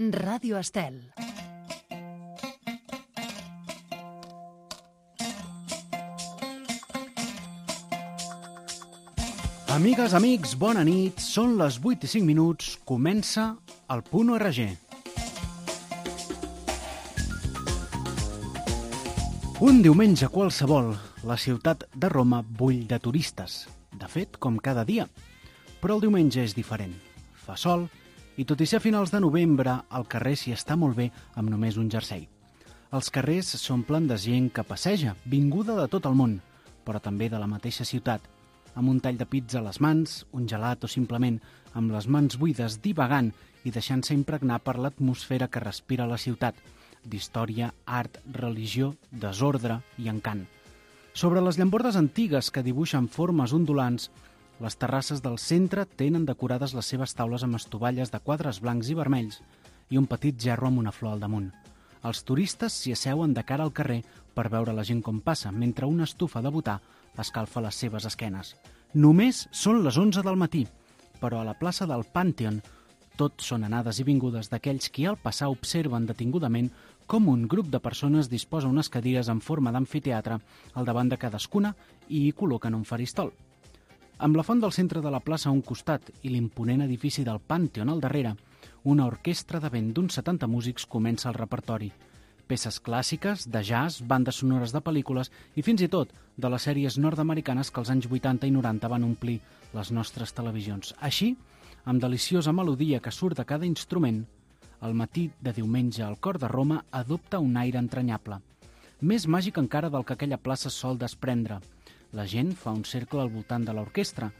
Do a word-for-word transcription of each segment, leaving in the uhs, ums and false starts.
Ràdio Estel. Amigues, amics, bona nit. Són les vuit i cinc minuts. Comença el Punt O R G. Un diumenge qualsevol, la ciutat de Roma bull de turistes. De fet, com cada dia. Però el diumenge és diferent. Fa sol i, tot i ser a finals de novembre, al carrer s'hi està molt bé amb només un jersei. Els carrers s'omplen de gent que passeja, vinguda de tot el món, però també de la mateixa ciutat, amb un tall de pizza a les mans, un gelat o simplement amb les mans buides divagant i deixant-se impregnar per l'atmosfera que respira la ciutat, d'història, art, religió, desordre i encant. Sobre les llambordes antigues que dibuixen formes ondulants, les terrasses del centre tenen decorades les seves taules amb estovalles de quadres blancs i vermells i un petit gerro amb una flor al damunt. Els turistes s'hi asseuen de cara al carrer per veure la gent com passa, mentre una estufa de butà escalfa les seves esquenes. Només són les onze del matí, però a la plaça del Pànteon tot són anades i vingudes d'aquells qui al passar observen detingudament com un grup de persones disposa unes cadires en forma d'amfiteatre al davant de cadascuna i hi col·loquen un faristol. Amb la font del centre de la plaça a un costat i l'imponent edifici del Pànteon al darrere, una orquestra de vent d'uns setanta músics comença el repertori. Peces clàssiques, de jazz, bandes sonores de pel·lícules i fins i tot de les sèries nord-americanes que als anys vuitanta i noranta van omplir les nostres televisions. Així, amb deliciosa melodia que surt de cada instrument, el matí de diumenge al cor de Roma adopta un aire entranyable. Més màgic encara del que aquella plaça sol desprendre. La gent fa un cercle al voltant de l'orquestra,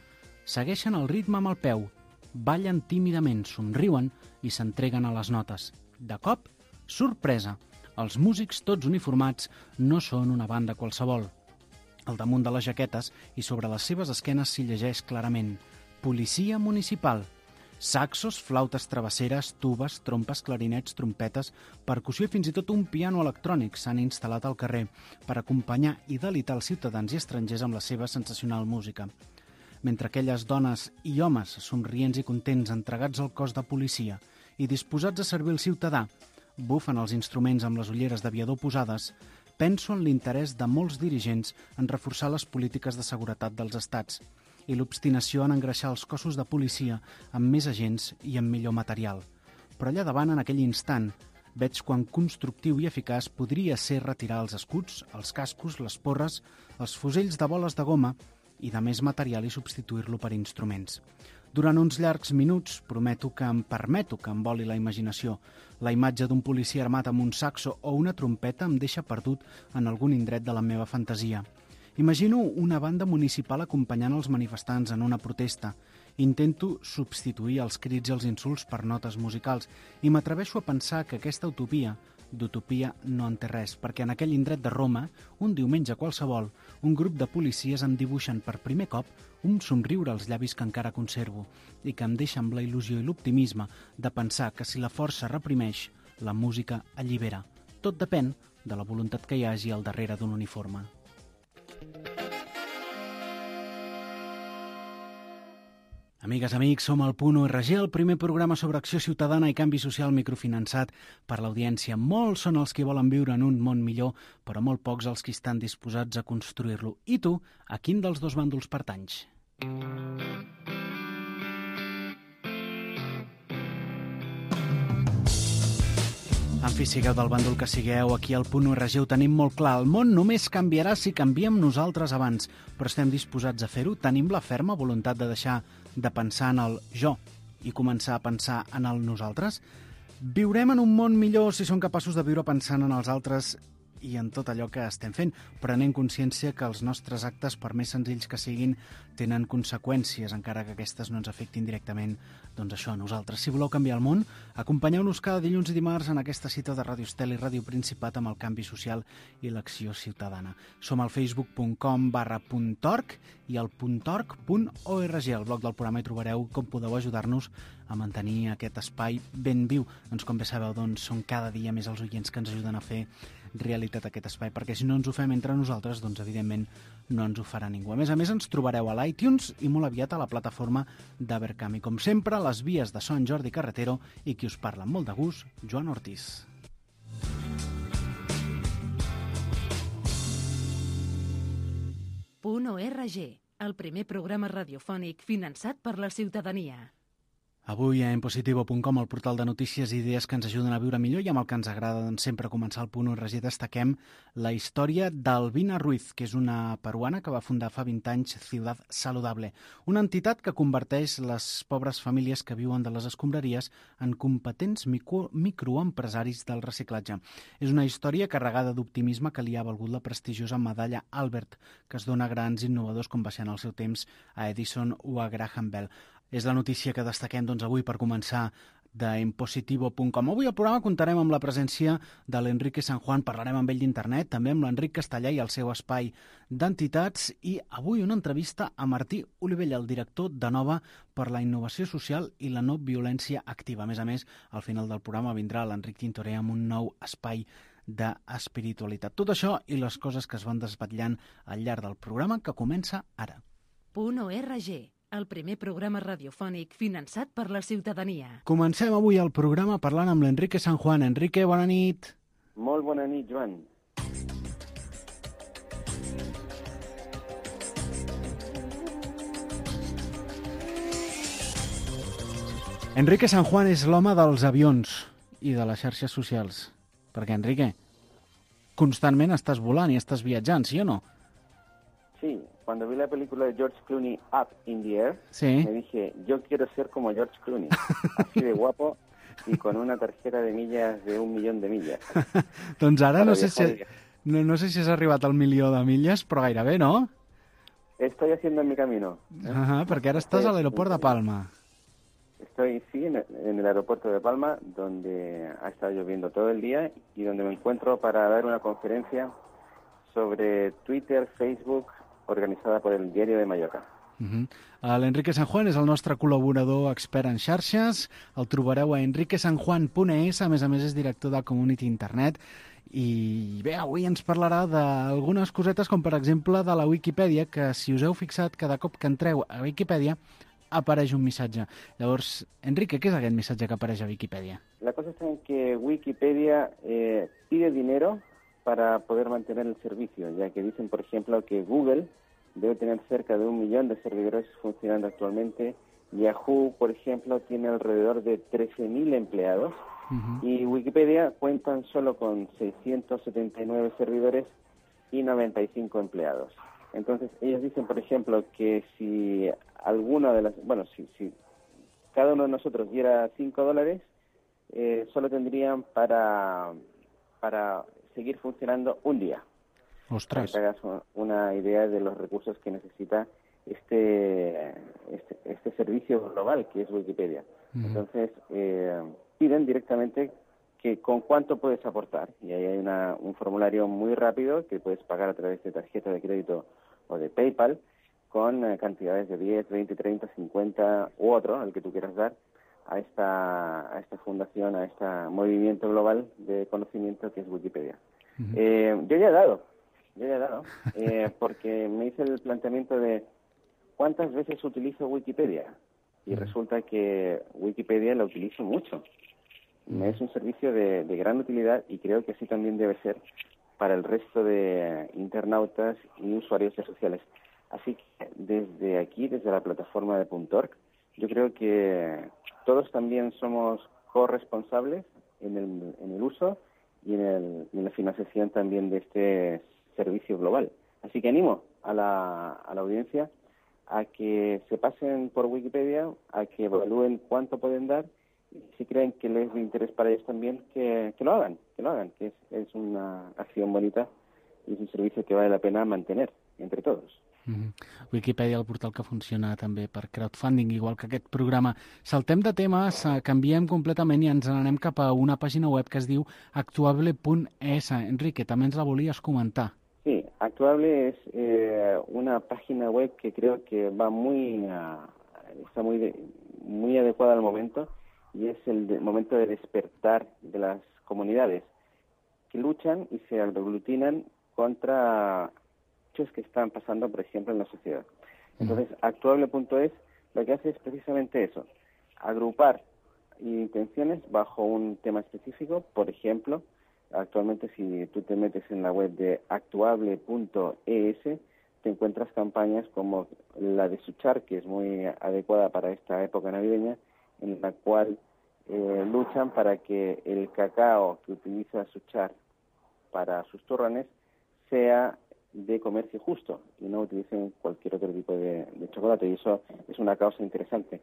segueixen el ritme amb el peu, ballen tímidament, somriuen i s'entreguen a les notes. De cop, sorpresa, els músics tots uniformats no són una banda qualsevol. Al damunt de les jaquetes i sobre les seves esquenes s'hi llegeix clarament Policia Municipal. Saxos, flautes travesseres, tubes, trompes, clarinets, trompetes, percussió i fins i tot un piano electrònic s'han instal·lat al carrer per acompanyar i delitar els ciutadans i estrangers amb la seva sensacional música. Mentre aquelles dones i homes somrients i contents entregats al cos de policia i disposats a servir el ciutadà bufen els instruments amb les ulleres d'aviador posades, penso en l'interès de molts dirigents en reforçar les polítiques de seguretat dels estats i l'obstinació en engreixar els cossos de policia amb més agents i amb millor material. Però allà davant, en aquell instant, veig quan constructiu i eficaç podria ser retirar els escuts, els cascos, les porres, els fusells de boles de goma i de més material i substituir-lo per instruments. Durant uns llargs minuts prometo que em permeto que em voli la imaginació. La imatge d'un policia armat amb un saxo o una trompeta em deixa perdut en algun indret de la meva fantasia. Imagino una banda municipal acompanyant els manifestants en una protesta. Intento substituir els crits i els insults per notes musicals i m'atreveixo a pensar que aquesta utopia d'utopia no en té res, perquè en aquell indret de Roma, un diumenge qualsevol, un grup de policies em dibuixen per primer cop un somriure als llavis que encara conservo i que em deixa amb la il·lusió i l'optimisme de pensar que si la força reprimeix, la música allibera. Tot depèn de la voluntat que hi hagi al darrere d'un uniforme. Amigues, amics, som al Punt O R G, el primer programa sobre acció ciutadana i canvi social microfinançat per l'audiència. Molts són els que volen viure en un món millor, però molt pocs els que estan disposats a construir-lo. I tu, a quin dels dos bàndols pertanys? En fi, sigueu del bàndol que sigueu, aquí al Punt O R G ho tenim molt clar. El món només canviarà si canviem nosaltres abans, però estem disposats a fer-ho? Tenim la ferma voluntat de deixar de pensar en el jo i començar a pensar en el nosaltres? Viurem en un món millor si som capaços de viure pensant en els altres i en tot allò que estem fent, prenent consciència que els nostres actes, per més senzills que siguin, tenen conseqüències, encara que aquestes no ens afectin directament, doncs això, a nosaltres. Si voleu canviar el món, acompanyeu-nos cada dilluns i dimarts en aquesta cita de Ràdio Estel i Ràdio Principat amb el canvi social i l'acció ciutadana. Som al facebook punt com barra puntorg i al puntorg punt org. Al blog del programa hi trobareu com podeu ajudar-nos a mantenir aquest espai ben viu. Doncs com bé sabeu, doncs, són cada dia més els oients que ens ajuden a fer realitat aquest espai, perquè si no ens ho fem entre nosaltres, doncs evidentment no ens ho farà ningú. A més a més, ens trobareu a l'iTunes i molt aviat a la plataforma d'Abercam. I com sempre, les vies de so en Jordi Carretero i qui us parla amb molt de gust, Joan Ortiz. Punt O R G, el primer programa radiofònic finançat per la ciutadania. Avui a en positivo punt com, el portal de notícies i idees que ens ajuden a viure millor, i amb el que ens agrada doncs, sempre començar el Punt O R G, destaquem la història d'Albina Ruiz, que és una peruana que va fundar fa vint anys Ciudad Saludable, una entitat que converteix les pobres famílies que viuen de les escombraries en competents micro microempresaris del reciclatge. És una història carregada d'optimisme que li ha valgut la prestigiosa medalla Albert, que es dona a grans innovadors com va ser en el seu temps a Edison o a Graham Bell. És la notícia que destaquem doncs, avui per començar d'en positivo punt com. Avui al programa comptarem amb la presència de l'Enrique San Juan, parlarem amb ell d'internet, també amb l'Enric Castellà i el seu espai d'entitats, i avui una entrevista a Martí Olivella, el director de Nova per la innovació social i la no violència activa. A més a més, al final del programa vindrà l'Enric Tintoré amb un nou espai d'espiritualitat. Tot això i les coses que es van desvetllant al llarg del programa, que comença ara. Punt O R G, el primer programa radiofònic finançat per la ciutadania. Comencem avui el programa parlant amb l'Enrique San Juan. Enrique, bona nit. Molt bona nit, Joan. Enrique San Juan és l'home dels avions i de les xarxes socials. Perquè, Enrique, constantment estàs volant i estàs viatjant, sí o no? Sí, cuando vi la película de George Clooney, Up in the Air, sí. Me dije, yo quiero ser como George Clooney, así de guapo y con una tarjeta de millas de un millón de millas. Doncs ara no sé, si, no, no sé si has arribat al milió de milles, però gairebé, no? Estoy haciendo mi camino. ¿eh? Ajá, perquè ara estàs a l'aeroport de Palma. Estoy, sí, en el aeropuerto de Palma, donde ha estado lloviendo todo el día y donde me encuentro para dar una conferencia sobre Twitter, Facebook, organitzada per el Diario de Mallorca. Uh-huh. L'Enrique San Juan és el nostre col·laborador expert en xarxes. El trobareu a enrique san juan punt es, a més a més és director de Community Internet. I bé, avui ens parlarà d'algunes cosetes, com per exemple de la Wikipedia, que si us heu fixat, cada cop que entreu a Wikipedia apareix un missatge. Llavors, Enrique, què és aquest missatge que apareix a Wikipedia? La cosa está en que Wikipedia eh, pide dinero para poder mantener el servicio, ya que dicen, por ejemplo, que Google debe tener cerca de un millón de servidores funcionando actualmente. Yahoo, por ejemplo, tiene alrededor de trece mil empleados. Uh-huh. Y Wikipedia cuentan solo con seiscientos setenta y nueve servidores y noventa y cinco empleados. Entonces, ellos dicen, por ejemplo, que si alguna de las... Bueno, si, si cada uno de nosotros diera cinco dólares, eh, solo tendrían para... para seguir funcionando un día. Ostras. Para que te hagas una idea de los recursos que necesita este este, este servicio global que es Wikipedia. Uh-huh. Entonces, eh, piden directamente que con cuánto puedes aportar. Y ahí hay una, un formulario muy rápido que puedes pagar a través de tarjeta de crédito o de PayPal con eh, cantidades de diez, veinte, treinta, cincuenta u otro, al que tú quieras dar, a esta a esta fundación, a este movimiento global de conocimiento que es Wikipedia. Uh-huh. Eh, yo ya he dado, yo ya he dado, eh, porque me hice el planteamiento de cuántas veces utilizo Wikipedia y uh-huh. resulta que Wikipedia la utilizo mucho. Uh-huh. Es un servicio de, de gran utilidad y creo que así también debe ser para el resto de internautas y usuarios de sociales. Así que desde aquí, desde la plataforma de .org, yo creo que todos también somos corresponsables en el, en el uso y en, el, en la financiación también de este servicio global. Así que animo a la, a la audiencia a que se pasen por Wikipedia, a que evalúen cuánto pueden dar, y si creen que les es de interés para ellos también, que, que lo hagan, que lo hagan, que es, es una acción bonita y es un servicio que vale la pena mantener entre todos. Mm-hmm. Wikipedia, el portal que funciona també per crowdfunding, igual que aquest programa. Saltem de temes, canviem completament i ens n'anem cap a una pàgina web que es diu actuable punt es. Enrique, també ens la volies comentar. Sí, Actuable es eh, una página web que creo que va muy, uh, está muy de, muy adecuada al momento, y es el de, momento de despertar de las comunidades que luchan y se aglutinan contra hechos que están pasando, por ejemplo, en la sociedad. Entonces, Actuable punto es lo que hace es precisamente eso, agrupar intenciones bajo un tema específico. Por ejemplo, actualmente si tú te metes en la web de actuable punto es, te encuentras campañas como la de Suchar, que es muy adecuada para esta época navideña, en la cual eh, luchan para que el cacao que utiliza Suchar para sus turrones sea de comercio justo y no utilicen cualquier otro tipo de, de chocolate, y eso es una causa interesante.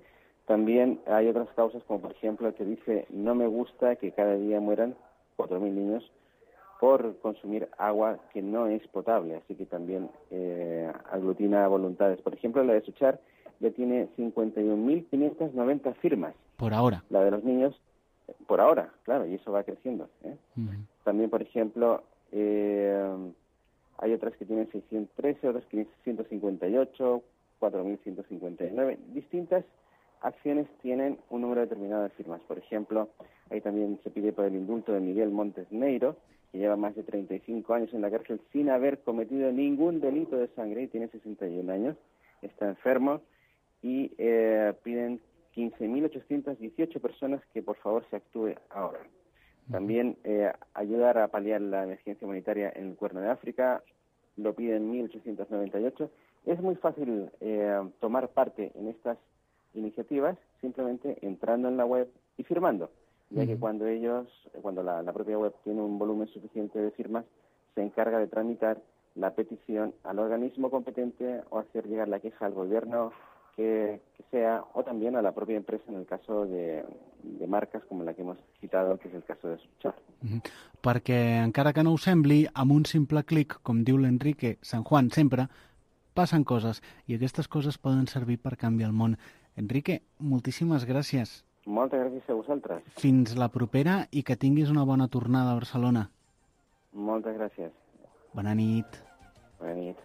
También hay otras causas, como por ejemplo que dice: no me gusta que cada día mueran cuatro mil niños por consumir agua que no es potable, así que también eh, aglutina voluntades. Por ejemplo, la de Suchar ya tiene cincuenta y un mil quinientas noventa firmas. Por ahora. La de los niños, por ahora, claro, y eso va creciendo, ¿eh? Uh-huh. También, por ejemplo, eh, hay otras que tienen seiscientos trece, otras quinientos cincuenta y ocho, cuatro mil ciento cincuenta y nueve. Distintas acciones tienen un número determinado de firmas. Por ejemplo, ahí también se pide por el indulto de Miguel Montes Neiro, que lleva más de treinta y cinco años en la cárcel sin haber cometido ningún delito de sangre y tiene sesenta y un años, está enfermo, y eh, piden quince mil ochocientas dieciocho personas que por favor se actúe ahora. También eh, ayudar a paliar la emergencia humanitaria en el Cuerno de África, lo piden mil ochocientos noventa y ocho. Es muy fácil eh, tomar parte en estas iniciativas simplemente entrando en la web y firmando, ya que cuando ellos, cuando la, la propia web tiene un volumen suficiente de firmas, se encarga de tramitar la petición al organismo competente o hacer llegar la queja al gobierno que, que sea, o también a la propia empresa en el caso de, de marcas como la que hemos citado, que és el cas de Suchar. Mm-hmm. Perquè, encara que no ho sembli, amb un simple clic, com diu l'Enrique San Juan sempre, passen coses, i aquestes coses poden servir per canviar el món. Enrique, moltíssimes gràcies. Moltes gràcies a vosaltres. Fins la propera i que tinguis una bona tornada a Barcelona. Moltes gràcies. Bona nit. Bona nit.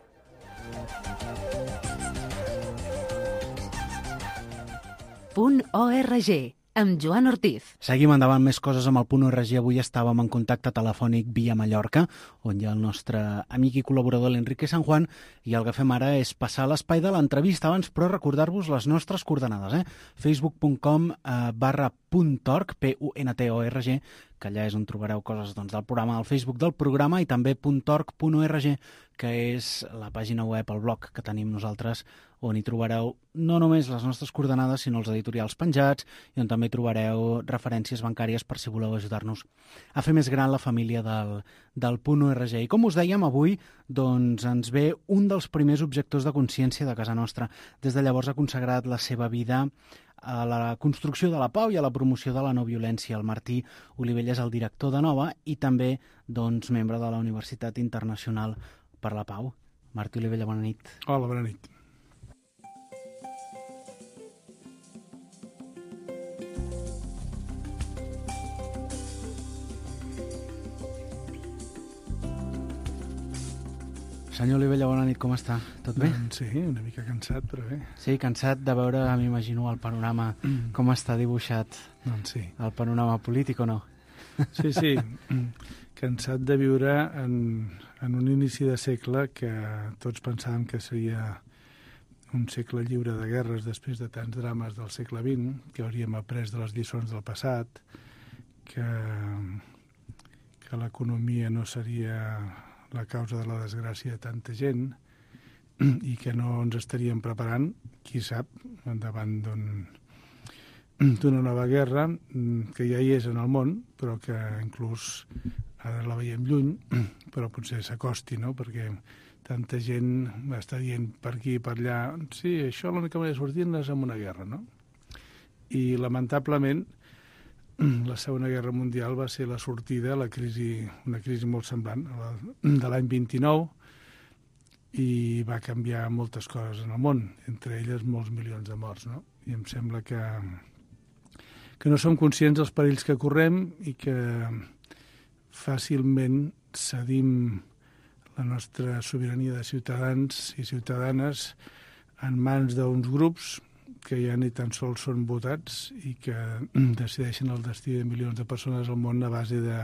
Punt .org, amb Joan Ortiz. Seguim endavant, més coses amb el Punt .org. Avui estàvem en contacte telefònic via Mallorca, on hi ha el nostre amic i col·laborador l'Enrique San Juan, i el que fem ara és passar l'espai de l'entrevista abans, però recordar-vos les nostres coordenades, eh? facebook punt com eh, barra puntorg, P U N T O R G, que allà és on trobareu coses doncs, del programa, al Facebook del programa, i també puntorg punt org, que és la pàgina web, el blog que tenim nosaltres, on hi trobareu no només les nostres coordenades, sinó els editorials penjats, i on també trobareu referències bancàries per si voleu ajudar-nos a fer més gran la família del, del Punt .org. I com us dèiem, avui doncs, ens ve un dels primers objectors de consciència de casa nostra. Des de llavors ha consagrat la seva vida a la construcció de la pau i a la promoció de la no violència. El Martí Olivella és el director de Nova i també doncs, membre de la Universitat Internacional per la Pau. Martí Olivella, bona nit. Hola, bona nit. Senyor Olivella, bona nit, com està? Tot bé? Doncs sí, una mica cansat, però bé. Sí, cansat de veure, m'imagino, el panorama, mm. com està dibuixat. Doncs sí. El panorama polític o no? Sí, sí, cansat de viure en, en un inici de segle que tots pensàvem que seria un segle lliure de guerres després de tants drames del segle vint, que hauríem après de les lliçons del passat, que, que l'economia no seria la causa de la desgràcia de tanta gent i que no ens estaríem preparant, qui sap, davant d'un, d'una nova guerra que ja hi és en el món, però que inclús ara la veiem lluny, però potser s'acosti, no?, perquè tanta gent està dient per aquí i per allà, sí, això l'única manera de sortir-ne és amb una guerra, no? I lamentablement la Segona Guerra Mundial va ser la sortida, la crisi, una crisi molt semblant, la, de l'any vint-i-nou, i va canviar moltes coses en el món, entre elles molts milions de morts, no? I em sembla que, que no som conscients dels perills que correm i que fàcilment cedim la nostra sobirania de ciutadans i ciutadanes en mans d'uns grups que ja ni tan sols són votats i que decideixen el destí de milions de persones al món a base de,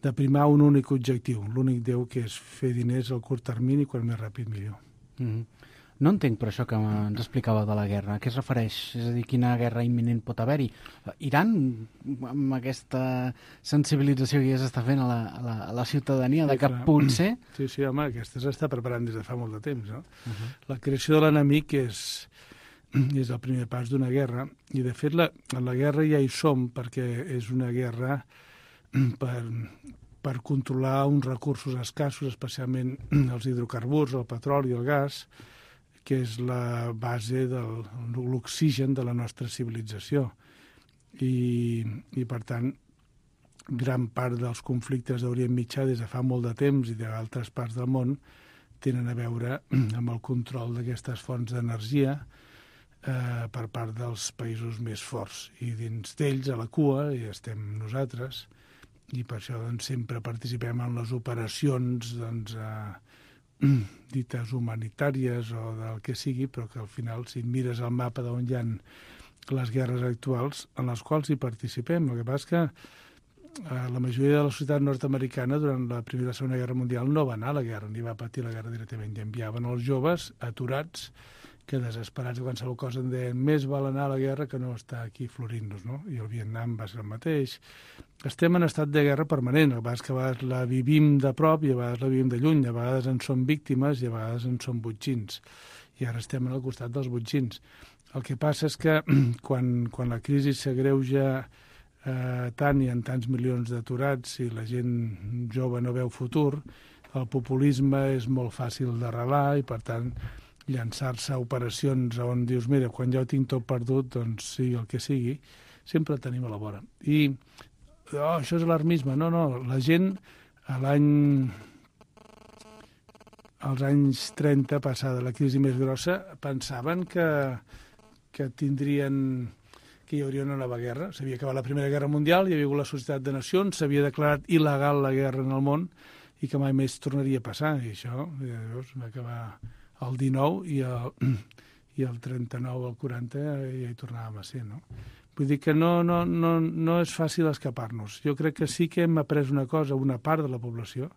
de primar un únic objectiu, l'únic Déu, que és fer diners al curt termini, quan més ràpid millor. Mm-hmm. No entenc per això que ens explicava de la guerra. A què es refereix? És a dir, quina guerra imminent pot haver-hi? Iran, amb aquesta sensibilització que ja s'està fent a la, a la, a la ciutadania, de que potser... Sí, sí, home, aquesta s'està preparant des de fa molt de temps, no? Uh-huh. La creació de l'enemic és, és el primer pas d'una guerra, i de fet la, la guerra ja hi som, perquè és una guerra per, per controlar uns recursos escassos, especialment els hidrocarburs, el petroli i el gas, que és la base de l'oxigen de la nostra civilització. I, i per tant, gran part dels conflictes d'Orient Mitjà des de fa molt de temps i d'altres parts del món tenen a veure amb el control d'aquestes fonts d'energia eh, per part dels països més forts. I dins d'ells, a la cua, hi estem nosaltres, i per això doncs, sempre participem en les operacions doncs, eh, dites humanitàries o del que sigui, però que al final, si mires el mapa d'on hi ha les guerres actuals, en les quals hi participem. El que passa és que eh, la majoria de la societat nord-americana durant la Primera i la Segona Guerra Mundial no va anar a la guerra, ni va patir la guerra directament, i enviaven els joves aturats que desesperats de qualsevol cosa en deien més val anar a la guerra que no estar aquí florint-nos, no? I el Vietnam va ser el mateix. Estem en estat de guerra permanent, a vegades que a vegades la vivim de prop i a vegades la vivim de lluny, a vegades en som víctimes i a vegades en som botxins. I ara estem al costat dels botxins. El que passa és que quan, quan la crisi s'agreuja eh, tant i en tants milions d'aturats i la gent jove no veu futur, el populisme és molt fàcil d'arrelar i, per tant, llançar-se a operacions on dius, mira, quan ja ho tinc tot perdut, doncs sigui el que sigui, sempre el tenim a la vora. I oh, això és alarmisme. No, no, la gent a l'any... als anys trenta, passada la crisi més grossa, pensaven que, que tindrien... que hi hauria una nova guerra. S'havia acabat la Primera Guerra Mundial, hi havia hagut la Societat de Nacions, s'havia declarat il·legal la guerra en el món i que mai més tornaria a passar. I això, ja veus, va acabar el dinou i el, i el trenta-nou al quaranta ja hi tornàvem a ser, no? Vull dir que no, no, no, no és fàcil escapar-nos. Jo crec que sí que hem après una cosa, una part de la població,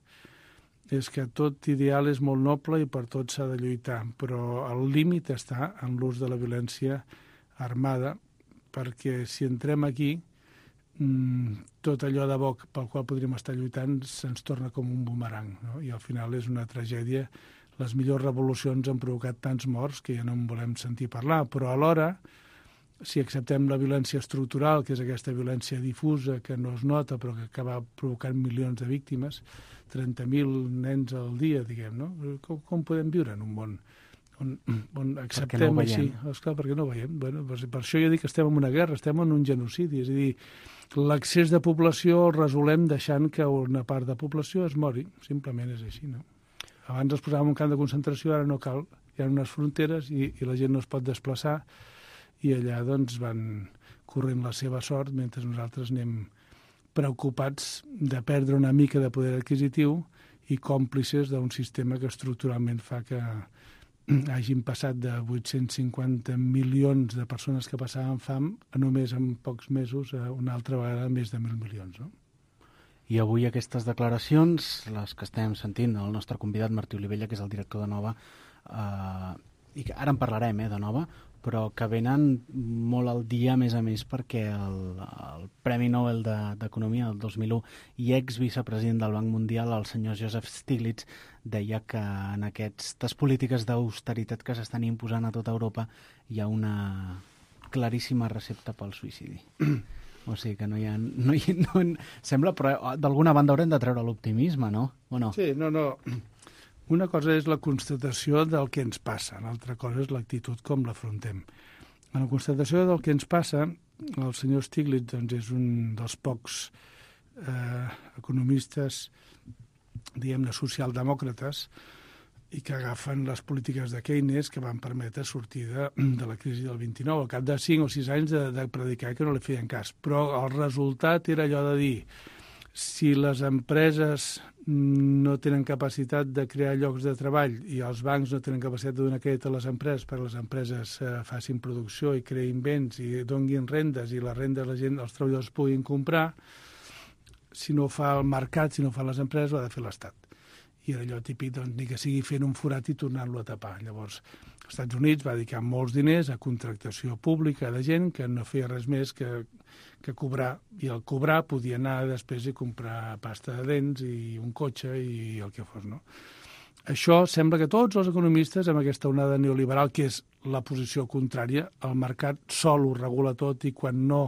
és que tot ideal és molt noble i per tot s'ha de lluitar, però el límit està en l'ús de la violència armada, perquè si entrem aquí, tot allò de bo pel qual podríem estar lluitant se'ns torna com un bumerang, no? I al final és una tragèdia. Les millors revolucions han provocat tants morts que ja no en volem sentir parlar, però alhora, si acceptem la violència estructural, que és aquesta violència difusa que no es nota però que acaba provocant milions de víctimes, trenta mil nens al dia, diguem, no? Com, com podem viure en un món on, on acceptem no així? Esclar, perquè no ho veiem. Bueno, per, per això jo dic que estem en una guerra, estem en un genocidi, és a dir, l'excés de població el resolem deixant que una part de població es mori, simplement és així, no? Abans els posàvem un camp de concentració, ara no cal. Hi ha unes fronteres i, i la gent no es pot desplaçar i allà doncs van corrent la seva sort mentre nosaltres anem preocupats de perdre una mica de poder adquisitiu i còmplices d'un sistema que estructuralment fa que hagin passat de vuit-cents cinquanta milions de persones que passaven fam a només en pocs mesos a una altra vegada més de mil milions, no? I avui aquestes declaracions, les que estem sentint, el nostre convidat Martí Olivella, que és el director de Nova, eh, i que ara en parlarem eh, de Nova, però que venen molt al dia, a més a més, perquè el, el Premi Nobel d'Economia del dos mil u i ex-vicepresident del Banc Mundial, el senyor Joseph Stiglitz, deia que en aquestes polítiques d'austeritat que s'estan imposant a tota Europa hi ha una claríssima recepta pel suïcidi. O sigui que no hi ha... No hi, no, sembla, però d'alguna banda haurem de treure l'optimisme, no? O no? Sí, no, no. Una cosa és la constatació del que ens passa, l'altra cosa és l'actitud com l'afrontem. En la constatació del que ens passa, el senyor Stiglitz doncs, és un dels pocs eh, economistes, diguem-ne, socialdemòcrates, i que agafen les polítiques de Keynes que van permetre sortir de, de la crisi del vint-i-nou, al cap de cinc o sis anys de, de predicar que no li feien cas. Però el resultat era allò de dir si les empreses no tenen capacitat de crear llocs de treball i els bancs no tenen capacitat de donar crèdit a les empreses perquè les empreses eh, facin producció i creïn béns i donguin rendes i les rendes la gent, els treballadors puguin comprar, si no fa el mercat, si no fan les empreses, ho ha de fer l'Estat. I era allò típic, doncs, ni que sigui fent un forat i tornant-lo a tapar. Llavors, els Estats Units va dedicar molts diners a contractació pública de gent que no feia res més que, que cobrar. I el cobrar podia anar després i comprar pasta de dents i un cotxe i el que fos, no? Això sembla que tots els economistes, amb aquesta onada neoliberal, que és la posició contrària, el mercat sol ho regula tot i quan no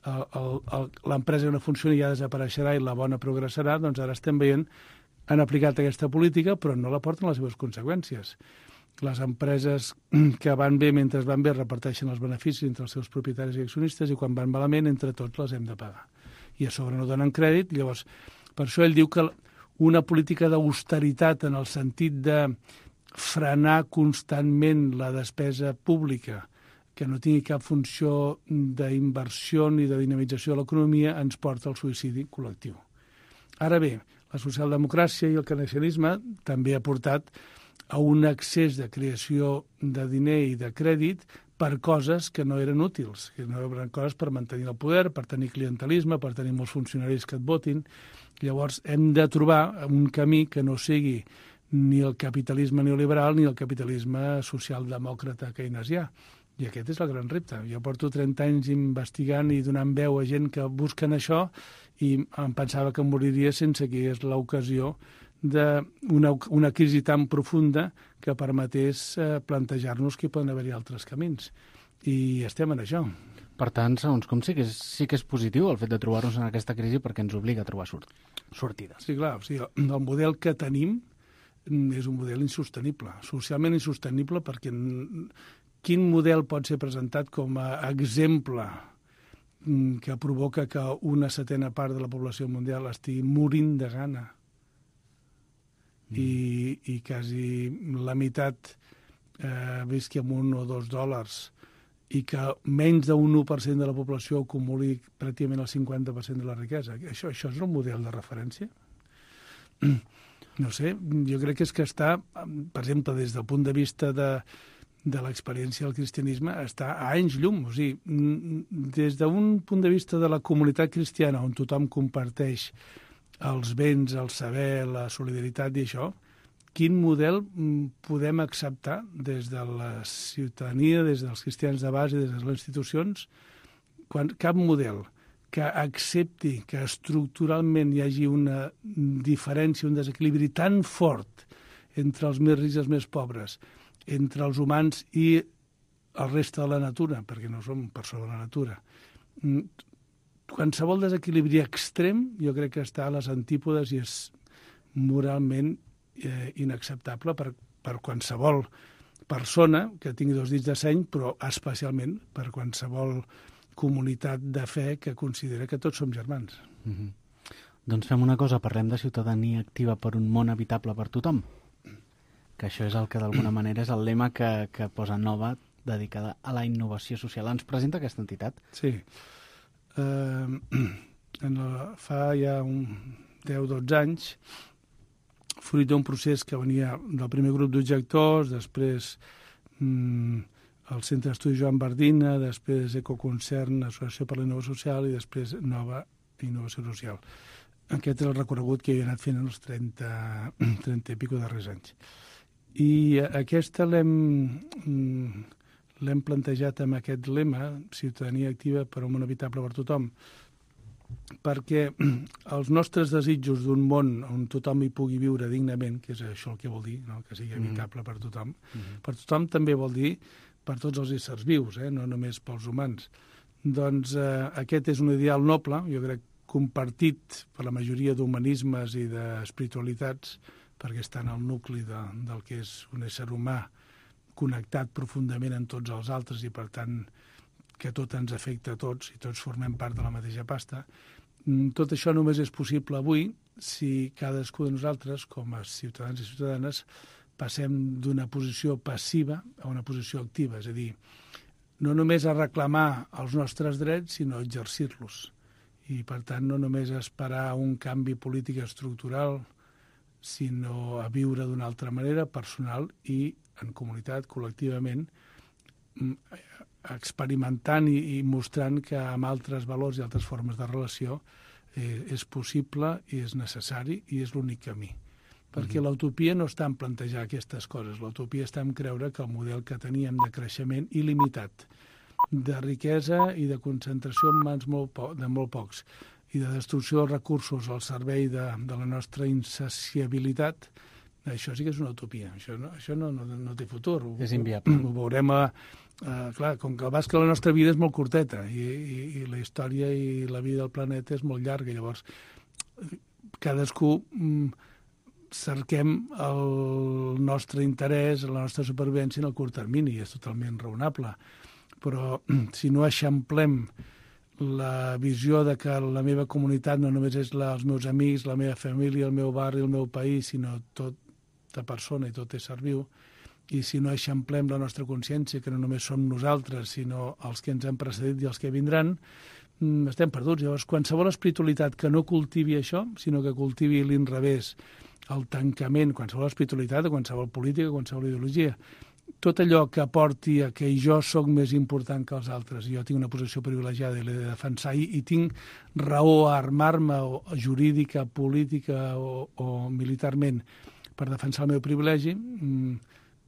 l'empresa no funciona ja desapareixerà i la bona progressarà, doncs ara estem veient han aplicat aquesta política, però no la porten les seves conseqüències. Les empreses que van bé mentre van bé reparteixen els beneficis entre els seus propietaris i accionistes i quan van malament entre tots les hem de pagar. I a sobre no donen crèdit, llavors per això ell diu que una política d'austeritat en el sentit de frenar constantment la despesa pública, que no tingui cap funció d'inversió ni de dinamització de l'economia, ens porta al suïcidi col·lectiu. Ara bé, la socialdemocràcia i el keynesianisme també ha portat a un excés de creació de diner i de crèdit per coses que no eren útils, que no eren coses per mantenir el poder, per tenir clientelisme, per tenir molts funcionaris que et votin. Llavors hem de trobar un camí que no sigui ni el capitalisme neoliberal ni el capitalisme socialdemòcrata keynesià. I aquest és el gran repte. Jo porto trenta anys investigant i donant veu a gent que busquen això i em pensava que moriria sense que hi hagués l'ocasió d'una una crisi tan profunda que permetés eh, plantejar-nos que hi poden haver-hi altres camins. I estem en això. Per tant, segons com sí que és, sí que és positiu el fet de trobar-nos en aquesta crisi perquè ens obliga a trobar sort, sortides. Sí, clar. O sigui, el model que tenim és un model insostenible, socialment insostenible, perquè quin model pot ser presentat com a exemple que provoca que una setena part de la població mundial estigui morint de gana mm. i, i quasi la meitat eh, visqui amb un o dos dòlars i que menys d'un u per cent de la població acumuli pràcticament el cinquanta per cent de la riquesa. Això, això és un model de referència? No sé, jo crec que és que està, per exemple, des del punt de vista de de l'experiència del cristianisme està a anys llum. O sigui, des d'un punt de vista de la comunitat cristiana on tothom comparteix els béns, el saber, la solidaritat i això, quin model podem acceptar des de la ciutadania, des dels cristians de base, des de les institucions, quan cap model que accepti que estructuralment hi hagi una diferència, un desequilibri tan fort entre els més rics i els més pobres, entre els humans i el reste de la natura, perquè no som per sobre la natura. Qualsevol desequilibri extrem jo crec que està a les antípodes i és moralment eh, inacceptable per, per qualsevol persona que tingui dos dits de seny, però especialment per qualsevol comunitat de fe que considera que tots som germans. Mm-hmm. Doncs fem una cosa, parlem de ciutadania activa per un món habitable per tothom. Que això és el que d'alguna manera és el lema que, que posa Nova, dedicada a la innovació social. Ens presenta aquesta entitat? Sí. Uh, en la, fa ja un deu o dotze anys, fruit d'un procés que venia del primer grup d'objectors, després um, el Centre d'Estudi Joan Bardina, després Ecoconcern, Associació per la Innovació Social i després Nova Innovació Social. Aquest és el recorregut que he anat fent en els trenta, trenta i pico darrers anys. I aquesta l'hem l'hem plantejat amb aquest lema, ciutadania activa per un món habitable per tothom, perquè els nostres desitjos d'un món on tothom hi pugui viure dignament, que és això el que vol dir, no? Que sigui habitable mm. per tothom, mm. per tothom també vol dir per tots els éssers vius, eh? No només pels humans. Doncs eh, aquest és un ideal noble, jo crec compartit per la majoria d'humanismes i d'espiritualitats, perquè està en el nucli de, del que és un ésser humà connectat profundament amb tots els altres i, per tant, que tot ens afecta a tots i tots formem part de la mateixa pasta. Tot això només és possible avui si cadascú de nosaltres, com a ciutadans i ciutadanes, passem d'una posició passiva a una posició activa, és a dir, no només a reclamar els nostres drets, sinó a exercir-los. I, per tant, no només esperar un canvi polític estructural, sinó a viure d'una altra manera, personal i en comunitat, col·lectivament, experimentant i, i mostrant que amb altres valors i altres formes de relació eh, és possible i és necessari i és l'únic camí. Perquè mm-hmm. l'utopia no està en plantejar aquestes coses, l'utopia està en creure que el model que teníem de creixement il·limitat, de riquesa i de concentració en mans molt po de molt pocs i de destrucció dels recursos al servei de, de la nostra insaciabilitat, això sí que és una utopia, això no, això no, no, no té futur. És inviable. Ho, ho veurem a... Uh, clar, com que el bàsquet, la nostra vida és molt curteta i, i, i la història i la vida del planeta és molt llarga, llavors cadascú mm, cerquem el nostre interès, la nostra supervivència en el curt termini, és totalment raonable, però si no eixamplem la visió de que la meva comunitat no només és la, els meus amics, la meva família, el meu barri, el meu país, sinó tota persona i tot ésser viu, i si no eixamplem la nostra consciència, que no només som nosaltres, sinó els que ens han precedit i els que vindran, estem perduts. Llavors, qualsevol espiritualitat que no cultivi això, sinó que cultivi l'inrevés, el tancament, qualsevol espiritualitat, qualsevol política, qualsevol ideologia, tot allò que aporti a que jo sóc més important que els altres, jo tinc una posició privilegiada i l'he de defensar, i, i tinc raó a armar-me o jurídica, política o, o militarment per defensar el meu privilegi,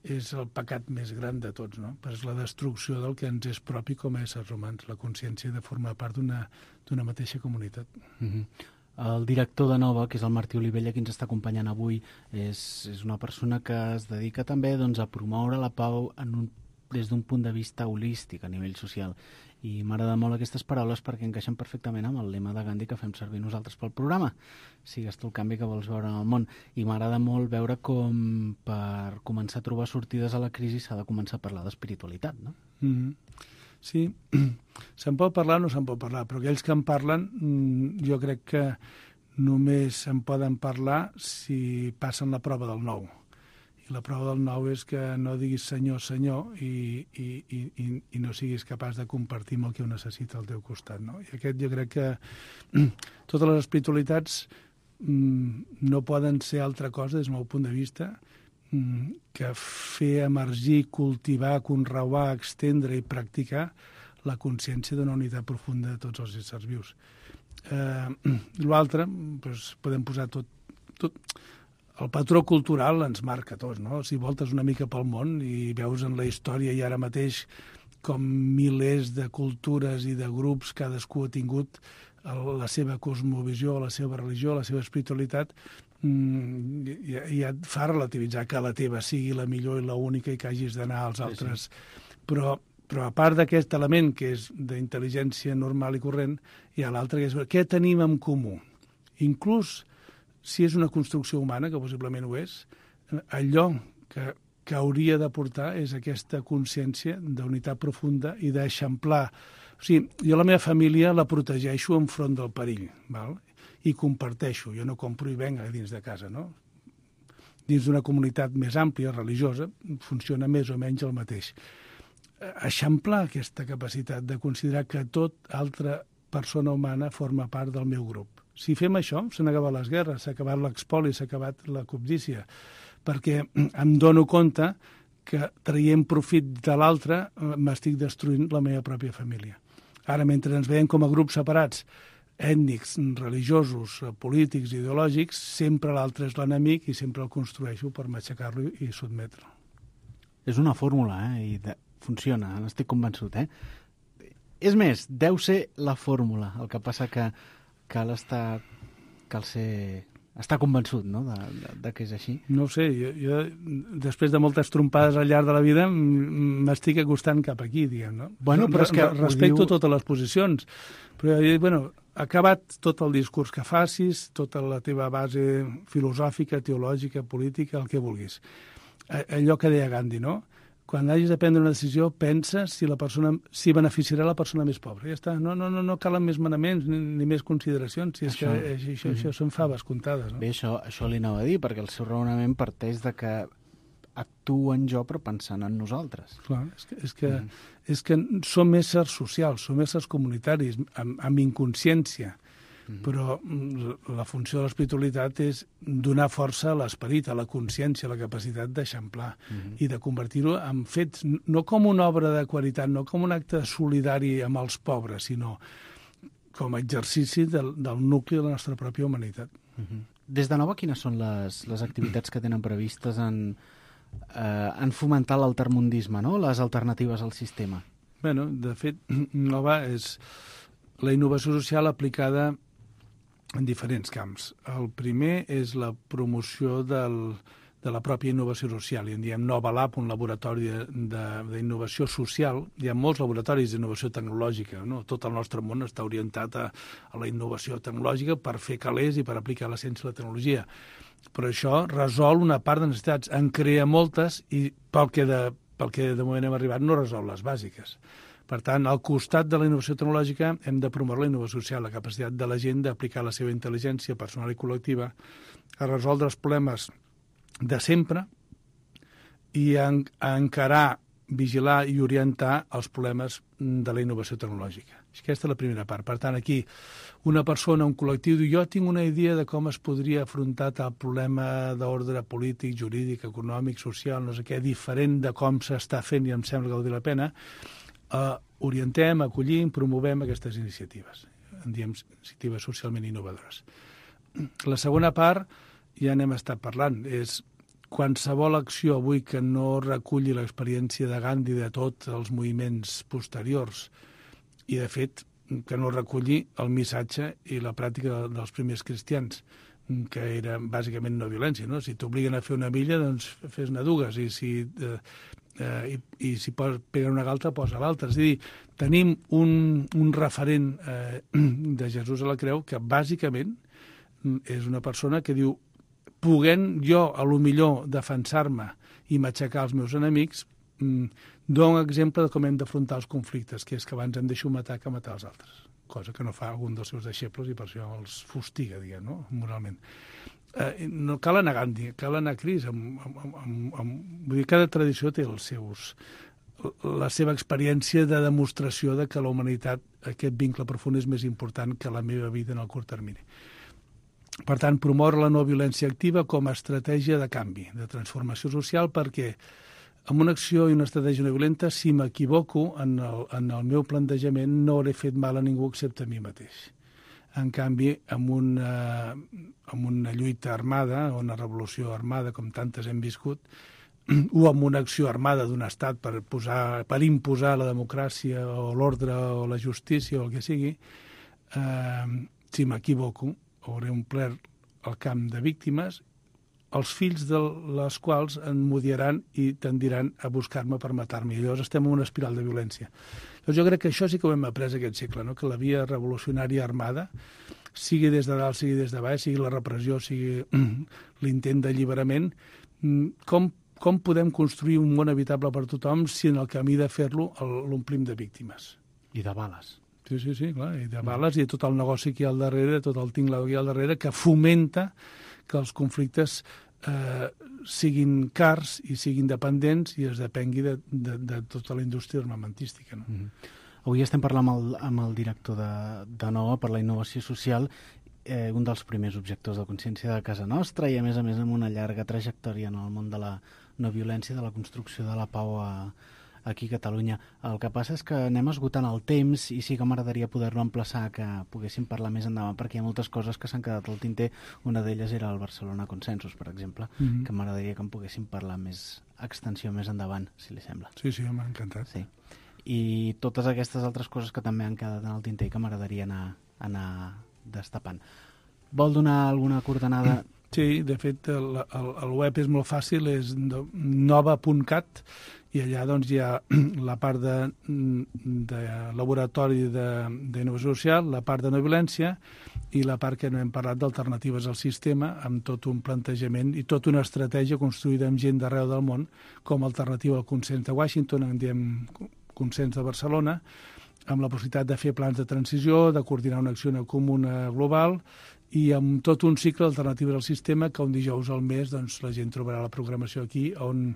és el pecat més gran de tots, no? Però és la destrucció del que ens és propi com a éssers humans, la consciència de formar part d'una mateixa comunitat. Mm-hmm. El director de Nova, que és el Martí Olivella, qui ens està acompanyant avui, és, és una persona que es dedica també doncs, a promoure la pau en un, des d'un punt de vista holístic a nivell social. I m'agrada molt aquestes paraules perquè encaixen perfectament amb el lema de Gandhi que fem servir nosaltres pel programa. Sigues tu el canvi que vols veure en el món. I m'agrada molt veure com per començar a trobar sortides a la crisi s'ha de començar a parlar d'espiritualitat, no? Mm-hmm. Sí, se'n pot parlar o no se'n pot parlar, però aquells que en parlen jo crec que només se'n poden parlar si passen la prova del nou. I la prova del nou és que no diguis senyor, senyor i, i, i, i no siguis capaç de compartir amb el que ho necessita al teu costat, no? I aquest jo crec que totes les espiritualitats no poden ser altra cosa des del meu punt de vista que fer emergir, cultivar, conreuar, extendre i practicar la consciència d'una unitat profunda de tots els éssers vius. Eh, L'altre, doncs, podem posar tot, tot... El patró cultural ens marca a tots, no? Si voltes una mica pel món i veus en la història i ara mateix com milers de cultures i de grups, cadascú ha tingut la seva cosmovisió, la seva religió, la seva espiritualitat, i, i et fa relativitzar que la teva sigui la millor i l'única i que hagis d'anar als altres. Sí, sí. Però, però a part d'aquest element, que és d'intel·ligència normal i corrent, hi ha l'altre, que és què tenim en comú. Inclús si és una construcció humana, que possiblement ho és, allò que, que hauria de portar és aquesta consciència d'unitat profunda i d'eixamplar. O sigui, jo la meva família la protegeixo enfront del perill, val? I comparteixo, jo no compro i venc dins de casa, no? Dins d'una comunitat més àmplia, religiosa, funciona més o menys el mateix. Eixamplar aquesta capacitat de considerar que tot altra persona humana forma part del meu grup. Si fem això, s'han acabat les guerres, s'ha acabat l'expoli, s'ha acabat la cobdícia, perquè em dono compte que traient profit de l'altre m'estic destruint la meva pròpia família. Ara, mentre ens veiem com a grups separats, ètnics, religiosos, polítics, ideològics, sempre l'altre és l'enemic i sempre el construeixo per matxacar-lo i sotmetre'l. És una fórmula, eh? I de... funciona, n'estic convençut, eh? És més, deu ser la fórmula, el que passa que cal estar, cal ser, estar convençut, no?, de, de, de que és així. No ho sé, jo, jo després de moltes trompades al llarg de la vida m'estic acostant cap aquí, diguem, no? Bueno, però és que respecto diu... totes les posicions, però jo dic, bueno, acabat tot el discurs que facis, tota la teva base filosòfica, teològica, política, el que vulguis. Allò que deia Gandhi, no? Quan hagis de prendre una decisió, pensa si la persona, si beneficiarà la persona més pobra. Ja està, no, no, no, no calen més manaments ni, ni més consideracions, si és això, que això, això, això són faves comptades. No? Bé, això, això li anava a dir, perquè el seu raonament parteix de que actuen jo però pensant en nosaltres. Clar, és que, és que, mm. és que som éssers socials, som éssers comunitaris, amb, amb inconsciència. Mm-hmm. Però la funció de l'espiritualitat és donar força a l'esperit, a la consciència, a la capacitat d'eixamplar mm-hmm. i de convertir-ho en fets, no com una obra de qualitat, no com un acte solidari amb els pobres, sinó com a exercici del, del nucli de la nostra pròpia humanitat. Mm-hmm. Des de Nova, quines són les, les activitats que tenen previstes en, eh, en fomentar l'altermundisme, no? Les alternatives al sistema? Bueno, de fet, Nova és la innovació social aplicada en diferents camps. El primer és la promoció del, de la pròpia innovació social. I en diem Nova Lab, un laboratori d'innovació social. Hi ha molts laboratoris d'innovació tecnològica, no? Tot el nostre món està orientat a, a la innovació tecnològica per fer calés i per aplicar la ciència i la tecnologia. Però això resol una part de necessitats. En crea moltes i pel que de, pel que de moment hem arribat no resol les bàsiques. Per tant, al costat de la innovació tecnològica hem de promoure la innovació social, la capacitat de la gent d'aplicar la seva intel·ligència personal i col·lectiva a resoldre els problemes de sempre i a, a encarar, vigilar i orientar els problemes de la innovació tecnològica. Aquesta és la primera part. Per tant, aquí una persona, un col·lectiu, diu jo tinc una idea de com es podria afrontar tal problema d'ordre polític, jurídic, econòmic, social, no sé què, diferent de com s'està fent i em sembla que val la pena. Uh, orientem, acollim, promovem aquestes iniciatives. En diem iniciatives socialment innovadores. La segona part, ja n'hem estat parlant, és qualsevol acció avui que no reculli l'experiència de Gandhi de tots els moviments posteriors i, de fet, que no reculli el missatge i la pràctica dels primers cristians, que era bàsicament no violència, no? Si t'obliguen a fer una milla, doncs fes-ne dues, i si... Eh, Eh, i, i si pos, pega una galta, posa l'altra. És a dir, tenim un, un referent eh, de Jesús a la creu que bàsicament és una persona que diu puguent jo a lo millor defensar-me i matxacar els meus enemics, mm, dono exemple de com hem d'afrontar els conflictes, que és que abans hem de matar que matar els altres, cosa que no fa algun dels seus deixebles i per això els fustiga, diguem, no? Moralment. Eh, no cal anar a Gandhi, cal anar a Cris. Amb, amb, amb, amb, vull dir, cada tradició té els seus, la seva experiència de demostració de que la humanitat, aquest vincle profund, és més important que la meva vida en el curt termini. Per tant, promoure la no violència activa com a estratègia de canvi, de transformació social, perquè amb una acció i una estratègia no violenta, si m'equivoco en el, en el meu plantejament, no hauré fet mal a ningú excepte a mi mateix. En canvi, amb una, amb una lluita armada, o una revolució armada, com tantes hem viscut, o amb una acció armada d'un estat per, posar, per imposar la democràcia o l'ordre o la justícia o el que sigui, eh, si m'equivoco, hauré omplert el camp de víctimes, els fills de les quals em m'odiaran i tendiran a buscar-me per matar-me. I llavors estem en una espiral de violència. Llavors jo crec que això sí que ho hem après aquest segle, no? Que la via revolucionària armada, sigui des de dalt, sigui des de baix, sigui la repressió, sigui l'intent d'alliberament, com, com podem construir un món habitable per tothom si en el camí de fer-lo l'omplim de víctimes? I de bales. Sí, sí, sí, clar, i de bales, i tot el negoci que hi ha al darrere, tot el tinglado que hi ha al darrere, que fomenta que els conflictes eh, siguin cars i siguin dependents i es depengui de, de, de tota la indústria armamentística. No? Mm-hmm. Avui estem parlant amb el, amb el director de, de Nova per la innovació social, eh, un dels primers objectors de consciència de casa nostra i, a més a més, amb una llarga trajectòria en el món de la no violència, de la construcció de la pau a, aquí a Catalunya. El que passa és que anem esgotant el temps i sí que m'agradaria poder-lo emplaçar que poguéssim parlar més endavant, perquè hi ha moltes coses que s'han quedat al tinter. Una d'elles era el Barcelona Consensus, per exemple, mm-hmm. que m'agradaria que en poguéssim parlar més extensió més endavant, si li sembla. Sí, sí, m'ha encantat. Sí. I totes aquestes altres coses que també han quedat en el tinter i que m'agradaria anar, anar destapant. Vol donar alguna coordenada? Sí, de fet, el, el, el web és molt fàcil, és nova punt cat, i allà doncs, hi ha la part de, de laboratori d'innovació social, la part de no violència i la part que no hem parlat d'alternatives al sistema, amb tot un plantejament i tota una estratègia construïda amb gent d'arreu del món com a alternativa al consens de Washington, en diem consens de Barcelona, amb la possibilitat de fer plans de transició, de coordinar una acció comuna global i amb tot un cicle d'alternatives al sistema que un dijous al mes doncs, la gent trobarà la programació aquí on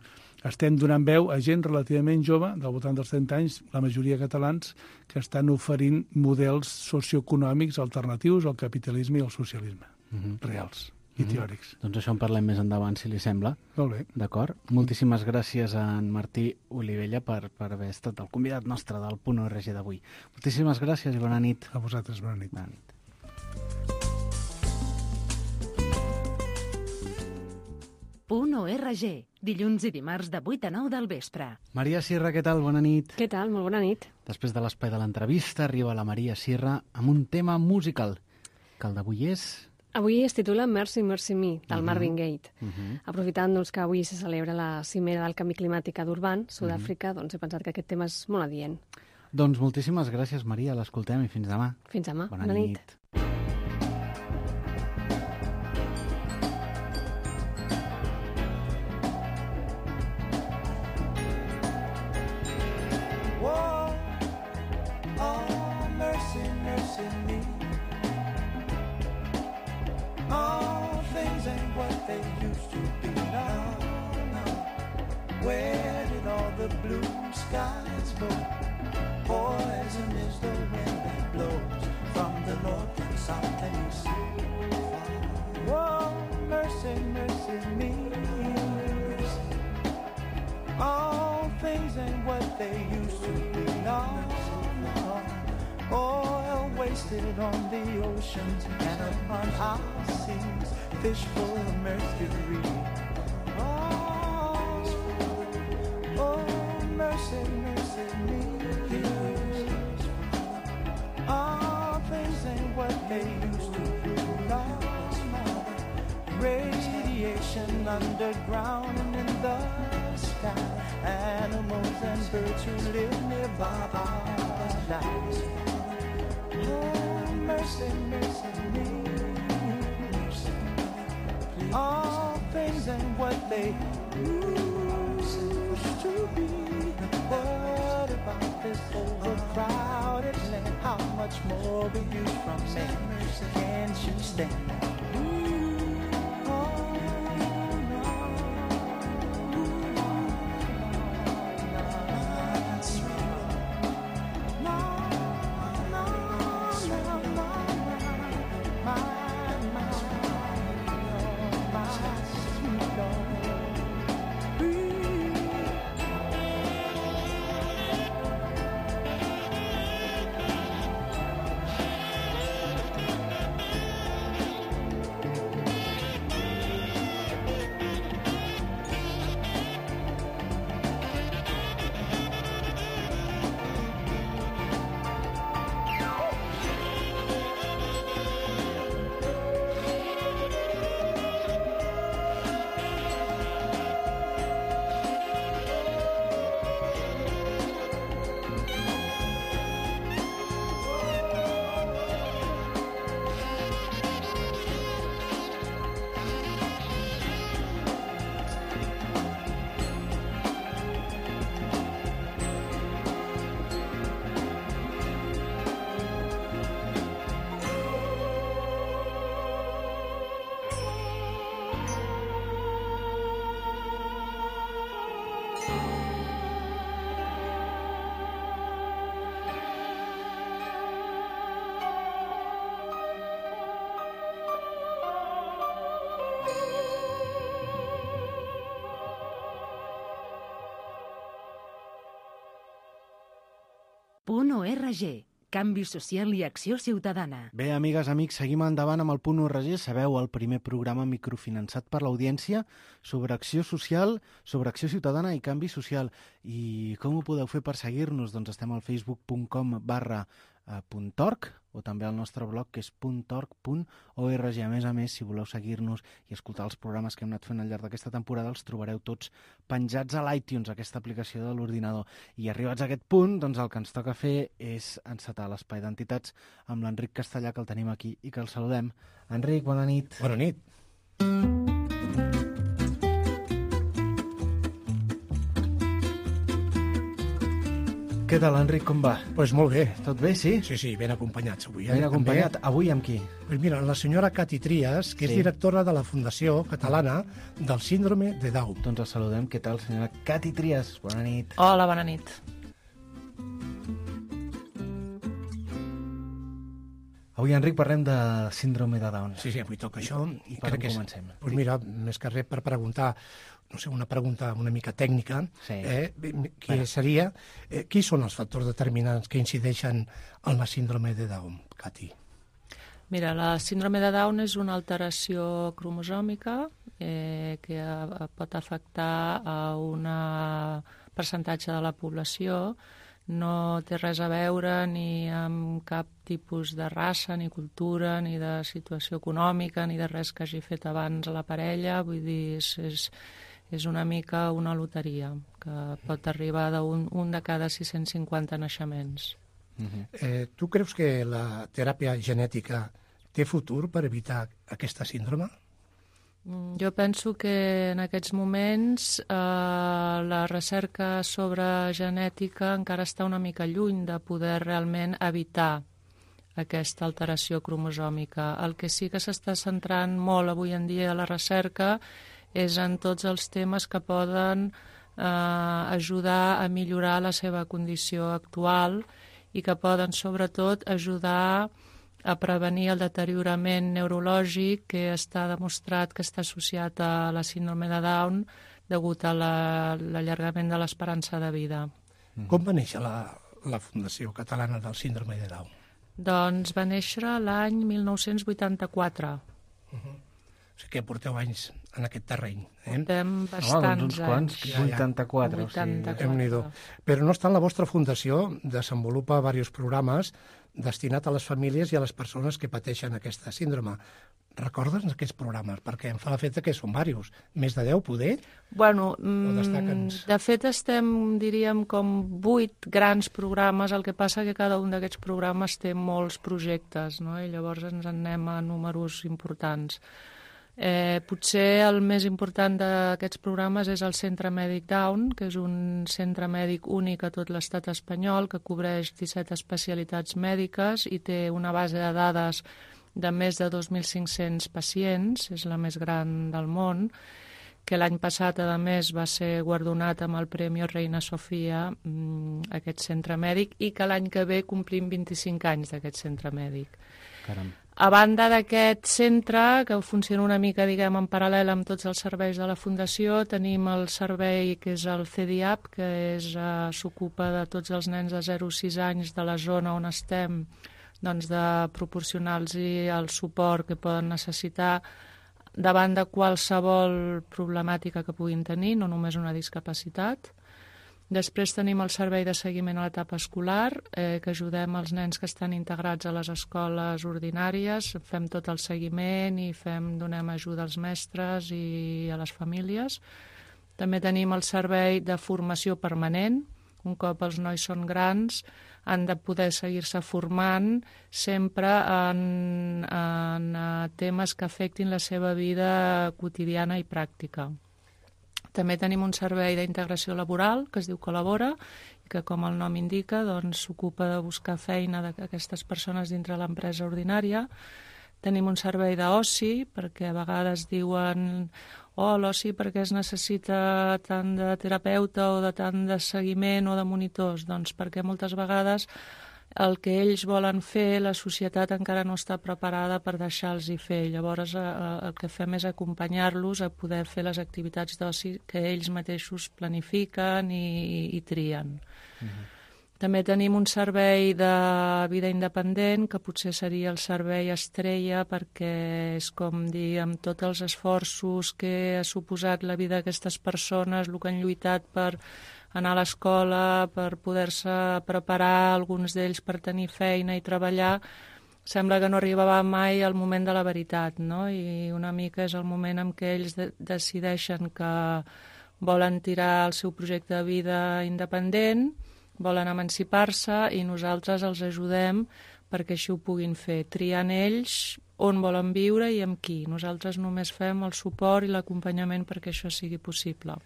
estem donant veu a gent relativament jove, del voltant dels trenta anys, la majoria catalans, que estan oferint models socioeconòmics alternatius al capitalisme i al socialisme, mm-hmm. reals i mm-hmm. teòrics. Doncs això en parlem més endavant, si li sembla. Molt bé. D'acord. Moltíssimes gràcies a en Martí Olivella per, per haver estat el convidat nostre del Punt O R G d'avui. Moltíssimes gràcies i bona nit. A vosaltres, bona nit. Bona nit. Punt O R G, dilluns i dimarts de vuit a nou del vespre. Maria Sierra, què tal? Bona nit. Què tal? Molt bona nit. Després de l'espai de l'entrevista arriba la Maria Sierra amb un tema musical, que el d'avui és... Avui es titula Mercy, Mercy Me, del uh-huh. Marvin Gaye. Uh-huh. Aprofitant doncs, que avui se celebra la cimera del canvi climàtic a Durban, Sud-àfrica, uh-huh. doncs he pensat que aquest tema és molt adient. Doncs moltíssimes gràcies, Maria. L'escoltem i fins demà. Fins demà. Bona, bona nit. nit. Where did all the blue skies go? Poison is the wind that blows from the north and south and east. Whoa, mercy, mercy me. All things ain't what they used to be. No, no. Oil wasted on the oceans and upon our seas. Fish full of mercury. Mercy, mercy me. All things ain't what they used to be. No, no. Radiation underground and in the sky. Animals and birds who live nearby are alive. Oh, mercy, mercy me. All things ain't what they used to be. What about this overcrowded land? How much more will you from me? Can't you stand that? Punt O R G, canvi social i acció ciutadana. Bé, amigues, amics, seguim endavant amb el Punt O R G. Sabeu, el primer programa microfinançat per l'audiència sobre acció social, sobre acció ciutadana i canvi social. I com ho podeu fer per seguir-nos? Doncs estem al facebook.com barra .org o també al nostre blog, que és .org punt org. A més a més, si voleu seguir-nos i escoltar els programes que hem anat fent al llarg d'aquesta temporada, els trobareu tots penjats a l'iTunes, aquesta aplicació de l'ordinador. I arribats a aquest punt, doncs el que ens toca fer és encetar l'espai d'entitats amb l'Enric Castellà, que el tenim aquí i que el saludem. Enric, bona nit. Bona nit. Què tal, Enric, com va? Doncs pues molt bé. Tot bé, sí? Sí, sí, ben acompanyats avui. Eh? Ben acompanyat. També. Avui amb qui? Pues mira, la senyora Cati Trias, que sí. és directora de la Fundació Catalana del Síndrome de Down. Doncs el saludem. Què tal, senyora Cati Trias? Bona nit. Hola, bona nit. Avui, Enric, parlem de síndrome de Down. Sí, sí, avui toca això. I per on comencem? Doncs pues mira, més que res per preguntar, no sé, una pregunta una mica tècnica, sí. eh, que bueno. seria, eh, qui són els factors determinants que incideixen en la síndrome de Down, Cati? Mira, la síndrome de Down és una alteració cromosòmica eh, que a, pot afectar a un percentatge de la població. No té res a veure ni amb cap tipus de raça, ni cultura, ni de situació econòmica, ni de res que hagi fet abans a la parella. Vull dir, és, és, és una mica una loteria, que pot arribar d'un un de cada sis-cents cinquanta naixements. Uh-huh. eh, tu creus que la teràpia genètica té futur per evitar aquesta síndrome? Jo penso que en aquests moments eh, la recerca sobre genètica encara està una mica lluny de poder realment evitar aquesta alteració cromosòmica. El que sí que s'està centrant molt avui en dia a la recerca és en tots els temes que poden eh, ajudar a millorar la seva condició actual i que poden sobretot ajudar a prevenir el deteriorament neurològic que està demostrat que està associat a la síndrome de Down degut a l'allargament de l'esperança de vida. Mm-hmm. Com va néixer la, la Fundació Catalana del Síndrome de Down? Doncs va néixer l'any mil nou-cents vuitanta-quatre. Uh-huh. O sigui que porteu anys en aquest terreny. Eh? Portem bastants oh, doncs uns quants, anys. vuitanta-quatre. vuitanta-quatre. O sigui... Però no obstant, la vostra fundació desenvolupa diversos programes destinat a les famílies i a les persones que pateixen aquesta síndrome. Recorda'ns aquests programes, perquè em fa l'efecte que són diversos. Més de deu, poder? Bueno, de fet estem, diríem, com vuit grans programes, el que passa que cada un d'aquests programes té molts projectes, no? I llavors ens en anem a números importants. Eh, potser el més important d'aquests programes és el Centre Mèdic Down, que és un centre mèdic únic a tot l'estat espanyol que cobreix disset especialitats mèdiques i té una base de dades de més de dos mil cinc-cents pacients, és la més gran del món, que l'any passat, a més, va ser guardonat amb el Premi Reina Sofia, aquest centre mèdic, i que l'any que ve complim vint-i-cinc anys d'aquest centre mèdic. Caram. A banda d'aquest centre, que funciona una mica, diguem, en paral·lel amb tots els serveis de la Fundació, tenim el servei que és el C D I A P, que és, uh, s'ocupa de tots els nens de zero a sis anys de la zona on estem, doncs de proporcionar-los el suport que poden necessitar davant de qualsevol problemàtica que puguin tenir, no només una discapacitat. Després tenim el servei de seguiment a l'etapa escolar, eh, que ajudem els nens que estan integrats a les escoles ordinàries, fem tot el seguiment i fem, donem ajuda als mestres i a les famílies. També tenim el servei de formació permanent. Un cop els nois són grans, han de poder seguir-se formant sempre en, en temes que afectin la seva vida quotidiana i pràctica. També tenim un servei d'integració laboral que es diu Col·labora i que, com el nom indica, doncs, s'ocupa de buscar feina d'aquestes persones dintre l'empresa ordinària. Tenim un servei d'oci, perquè a vegades diuen oh, l'oci perquè es necessita tant de terapeuta o de tant de seguiment o de monitors. Doncs perquè moltes vegades el que ells volen fer, la societat encara no està preparada per deixar-los-hi fer. Llavors eh, el que fem és acompanyar-los a poder fer les activitats d'oci que ells mateixos planifiquen i, i trien. Uh-huh. També tenim un servei de vida independent, que potser seria el servei estrella, perquè és com dir, amb tots els esforços que ha suposat la vida d'aquestes persones, el que han lluitat per anar a l'escola, per poder-se preparar, alguns d'ells per tenir feina i treballar, sembla que no arribava mai al moment de la veritat, no? I una mica és el moment en què ells de- decideixen que volen tirar el seu projecte de vida independent, volen emancipar-se i nosaltres els ajudem perquè així ho puguin fer, triant ells on volen viure i amb qui. Nosaltres només fem el suport i l'acompanyament perquè això sigui possible.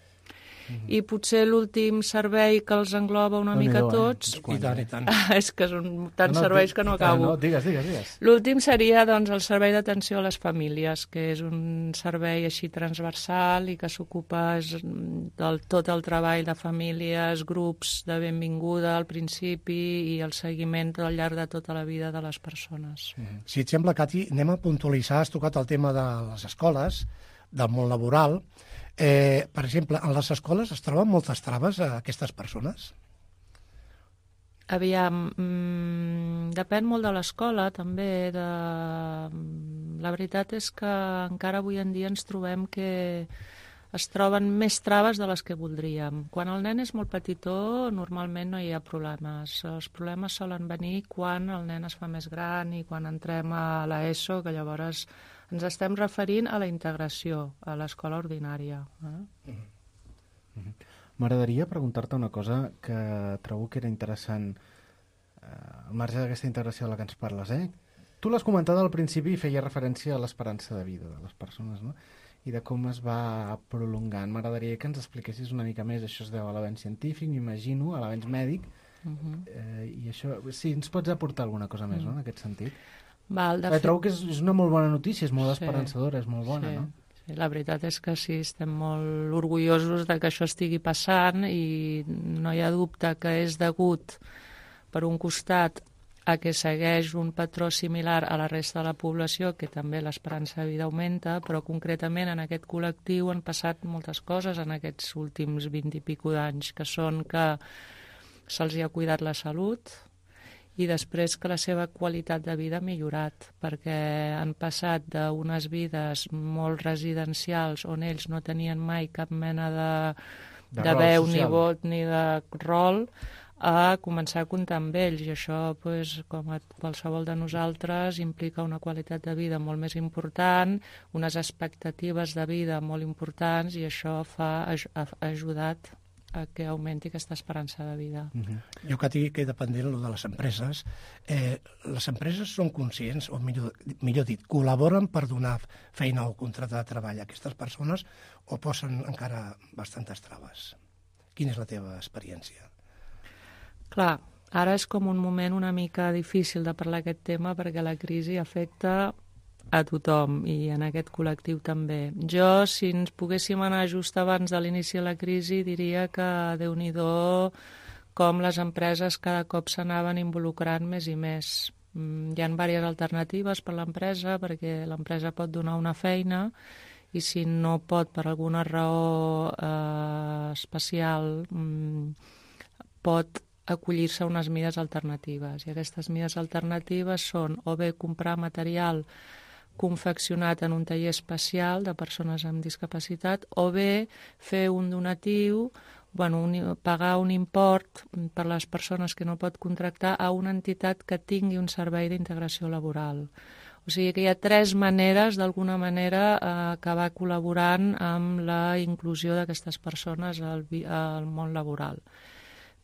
Mm-hmm. I potser l'últim servei que els engloba una mica eh? tots... I tant, i tant. És que són tants serveis que no acabo. No, digues, digues, digues. L'últim seria doncs, el servei d'atenció a les famílies, que és un servei així transversal i que s'ocupa del tot el treball de famílies, grups de benvinguda al principi i el seguiment al llarg de tota la vida de les persones. Mm. Si et sembla, Cati, anem a puntualitzar, has tocat el tema de les escoles, del món laboral. Eh, per exemple, en les escoles es troben moltes traves a aquestes persones? Aviam, mmm, depèn molt de l'escola, també. De... La veritat és que encara avui en dia ens trobem que es troben més traves de les que voldríem. Quan el nen és molt petitó, normalment no hi ha problemes. Els problemes solen venir quan el nen es fa més gran i quan entrem a l'ESO, que llavors ens estem referint a la integració, a l'escola ordinària. Eh? Mm-hmm. M'agradaria preguntar-te una cosa que trobo que era interessant eh, al marge d'aquesta integració de la que ens parles. Eh? Tu l'has comentat al principi i feia referència a l'esperança de vida de les persones, no? I de com es va prolongant. M'agradaria que ens expliquessis una mica més. Això es deu a l'avenç científic, m'imagino, a l'avenç mèdic. Uh-huh. eh, I això, sí, ens pots aportar alguna cosa més, uh-huh. no?, en aquest sentit? Val, de eh, fet... Trobo que és, és una molt bona notícia, és molt sí. esperançadora, és molt bona, sí. no? Sí, la veritat és que sí, estem molt orgullosos de que això estigui passant i no hi ha dubte que és degut, per un costat, a que segueix un patró similar a la resta de la població, que també l'esperança de vida augmenta, però concretament en aquest col·lectiu han passat moltes coses en aquests últims vint i pico d'anys, que són que se'ls hi ha cuidat la salut i després que la seva qualitat de vida ha millorat, perquè han passat d'unes vides molt residencials on ells no tenien mai cap mena de, de, de veu, social. Ni vot, ni de rol, a començar a comptar amb ells, i això, pues, com a qualsevol de nosaltres, implica una qualitat de vida molt més important, unes expectatives de vida molt importants, i això fa, ha ajudat a que augmenti aquesta esperança de vida. Uh-huh. Jo que tinc que dependent de les empreses, eh, les empreses són conscients, o millor, millor dit, col·laboren per donar feina o contracte de treball a aquestes persones o posen encara bastantes traves? Quina és la teva experiència? Clar, ara és com un moment una mica difícil de parlar aquest tema perquè la crisi afecta a tothom i en aquest col·lectiu també. Jo, si ens poguéssim anar just abans de l'inici de la crisi, diria que Déu-n'hi-do com les empreses cada cop s'anaven involucrant més i més. Hi ha diverses alternatives per l'empresa perquè l'empresa pot donar una feina i si no pot per alguna raó eh, especial mm, pot acollir-se a unes mides alternatives. I aquestes mides alternatives són o bé comprar material confeccionat en un taller especial de persones amb discapacitat o bé fer un donatiu, bueno, un, pagar un import per les persones que no pot contractar a una entitat que tingui un servei d'integració laboral. O sigui que hi ha tres maneres, d'alguna manera, a acabar col·laborant amb la inclusió d'aquestes persones al, al món laboral.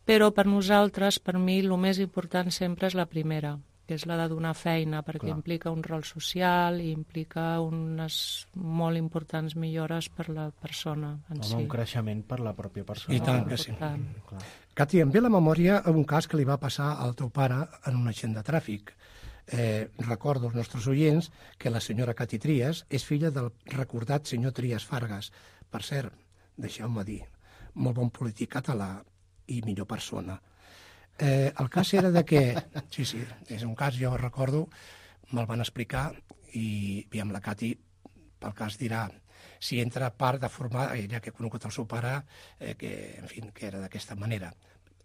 Però per nosaltres, per mi, el més important sempre és la primera, que és la de donar feina, perquè Clar. implica un rol social i implica unes molt importants millores per la persona en Home, si. Un creixement per la pròpia persona. I tant que sí. Cati, em ve la memòria un cas que li va passar al teu pare en un accident de tràfic. Eh, recordo als nostres oients que la senyora Cati Trias és filla del recordat senyor Trias Fargas. Per cert, deixeu-me dir, molt bon polític català i millor persona. Eh, el cas era de que... Sí, sí, és un cas, jo recordo, me'l van explicar i, i amb la Cati, pel cas dirà, si entra part de formar, ella que ha conegut el seu pare, eh, que, en fi, que era d'aquesta manera.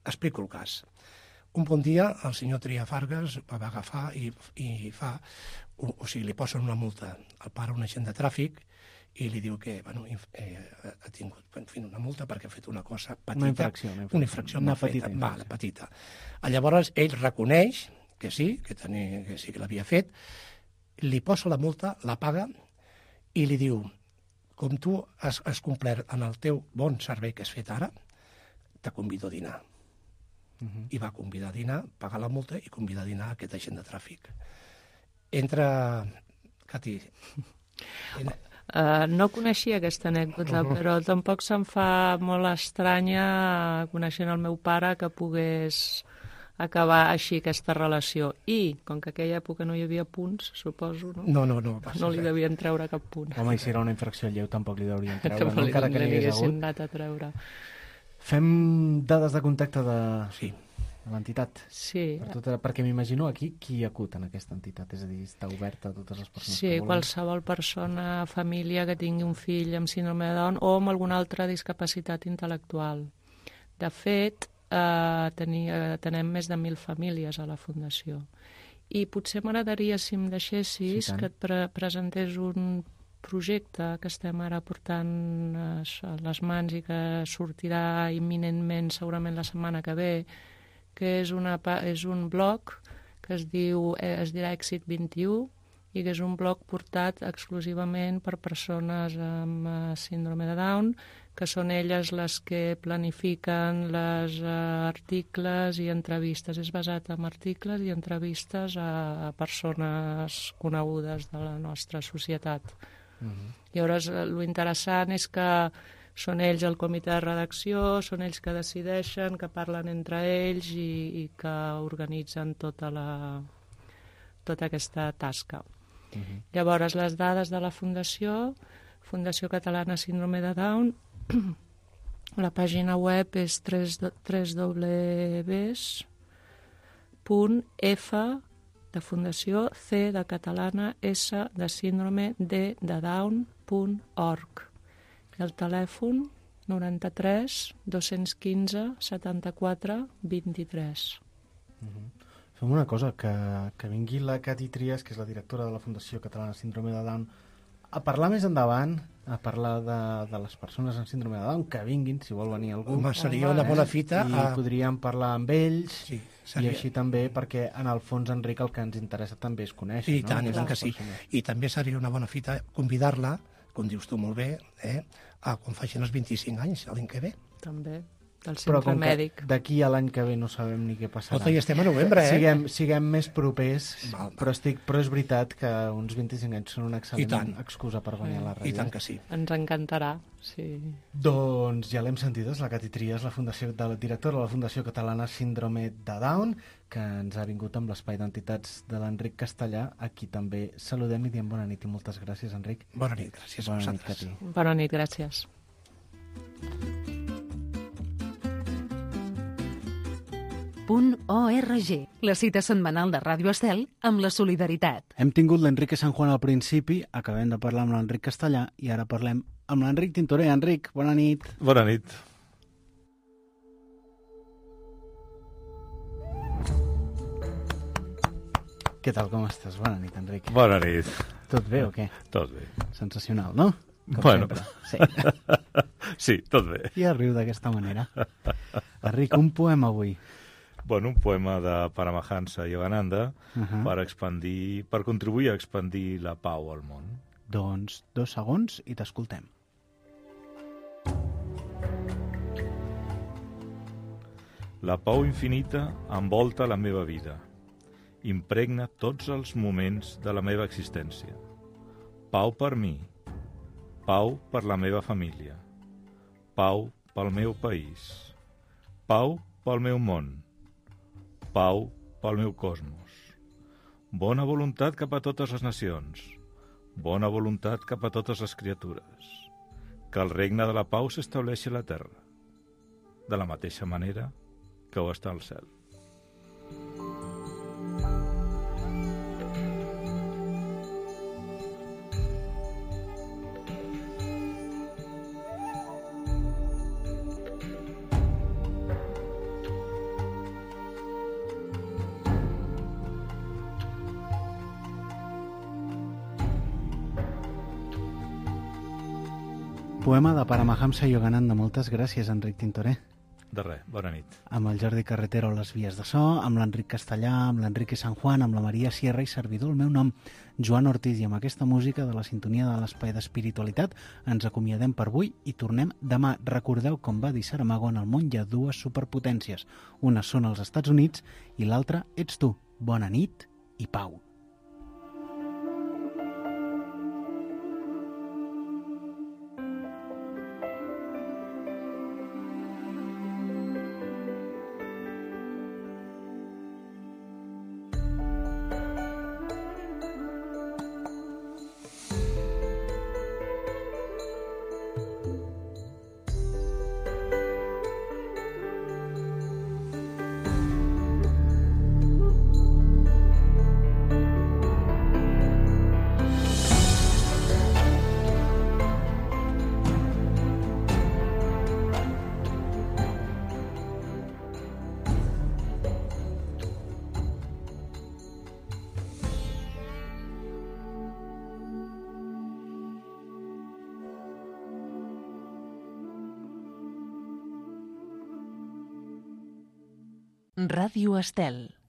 Explico el cas. Un bon dia el senyor Trias Fargas va agafar i, i fa... O, o sigui, li posen una multa al pare, un agent de tràfic, i li diu que bueno, eh, ha tingut en fi, una multa perquè ha fet una cosa petita. Una infracció. Una infracció, una infracció una petita. petita. Val, petita. Llavors ell reconeix que sí, que, tenia, que sí que l'havia fet, li posa la multa, la paga i li diu, com tu has, has complert en el teu bon servei que has fet ara, te convido a dinar. Uh-huh. I va convidar a dinar, pagar la multa i convidar a dinar aquest agent de tràfic. Entra... Cati... Uh, no coneixia aquesta anècdota, uh -huh. però tampoc se'm fa molt estranya, coneixent el meu pare, que pogués acabar així aquesta relació. I, com que aquella època no hi havia punts, suposo, no? No, no, no. No li devien treure cap punt. Home, i si era una infracció lleu tampoc li deurien treure, no, no? Encara que n'hi hagués hagut. anat a treure. Fem dades de contacte de... Sí. de l'entitat? Sí. Per tot, perquè m'imagino aquí qui acut en aquesta entitat, és a dir, està oberta a totes les persones sí, que volen. Sí, qualsevol persona, família que tingui un fill amb síndrome de Down o amb alguna altra discapacitat intel·lectual. De fet, eh, tenia, tenem més de mil famílies a la Fundació. I potser m'agradaria, si em deixessis, sí, que et pre presentés un projecte que estem ara portant a les mans i que sortirà imminentment, segurament la setmana que ve, que és, una, és un blog que es diu es dirà Èxit vint i u i que és un blog portat exclusivament per persones amb síndrome de Down, que són elles les que planifiquen les uh, articles i entrevistes. És basat en articles i entrevistes a, a persones conegudes de la nostra societat. Uh-huh. Llavors, lo interessant és que són ells el comitè de redacció, són ells que decideixen, que parlen entre ells i, i que organitzen tota, la, tota aquesta tasca. Uh-huh. Llavors, les dades de la Fundació, Fundació Catalana Síndrome de Down, la pàgina web és w w w punt f de Fundació, C de Catalana, S de Síndrome, D de Down punt org. El telèfon noranta-tres dos-cents quinze setanta-quatre vint-i-tres. Uh-huh. Fem una cosa, que, que vingui la Cati Trias, que és la directora de la Fundació Catalana Síndrome de Down, a parlar més endavant, a parlar de, de les persones amb síndrome de Down, que vinguin, si vol venir algú. Home, seria una bona fita. I a... podríem parlar amb ells, sí, i així també, perquè en el fons, Enric, el que ens interessa també és conèixer. I no? tant, i tant que sí. I també seria una bona fita convidar-la, com dius tu molt bé, eh, a quan facin els vint-i-cinc anys, l'any que ve. També, del centre mèdic. D'aquí a l'any que ve no sabem ni què passarà. Ota, i estem a novembre, eh? Siguem, siguem més propers, val, val. Però, estic, però és veritat que uns vint-i-cinc anys són una excel·lent excusa per venir a la ràdio. I tant que sí. Ens encantarà, sí. Doncs ja l'hem sentit, és la Cati Trias, la, fundació, de la directora de la Fundació Catalana Síndrome de Down, que ens ha vingut amb l'espai d'entitats de l'Enric Castellà. Aquí també saludem i diem bona nit i moltes gràcies, Enric. Bona nit, gràcies a bona vosaltres. Nit, Cati. Bona nit, gràcies. .org, la cita setmanal de Ràdio Estel amb la solidaritat. Hem tingut l'Enrique San Juan al principi, acabem de parlar amb l'Enric Castellà i ara parlem amb l'Enric Tintoré. Enric, bona nit. Bona nit. Què tal, com estàs? Bona nit, Enric. Bona nit. Tot bé o què? Tot bé. Sensacional, no? Com bueno. Sí. Sí, tot bé. I riu d'aquesta manera. Enric, un poema avui. Bueno, un poema de Paramahansa Yogananda uh -huh. per expandir, per contribuir a expandir la pau al món. Doncs dos segons i t'escoltem. La pau infinita envolta la meva vida. Impregna tots els moments de la meva existència. Pau per mi. Pau per la meva família. Pau pel meu país. Pau pel meu món. Pau pel meu cosmos. Bona voluntat cap a totes les nacions. Bona voluntat cap a totes les criatures. Que el regne de la pau s'estableixi a la terra, de la mateixa manera que ho està al cel. Poema de Paramahansa Yogananda. Moltes gràcies, Enric Tintoré. De res, bona nit. Amb el Jordi Carretero a les vies de so, amb l'Enric Castellà, amb l'Enrique San Juan, amb la Maria Sierra i servidor, el meu nom, Joan Ortiz, i amb aquesta música de la sintonia de l'Espai d'Espiritualitat ens acomiadem per avui i tornem demà. Recordeu, com va dir Saramago, en el món hi ha dues superpotències. Una són els Estats Units i l'altra ets tu. Bona nit i pau. Ràdio Estel.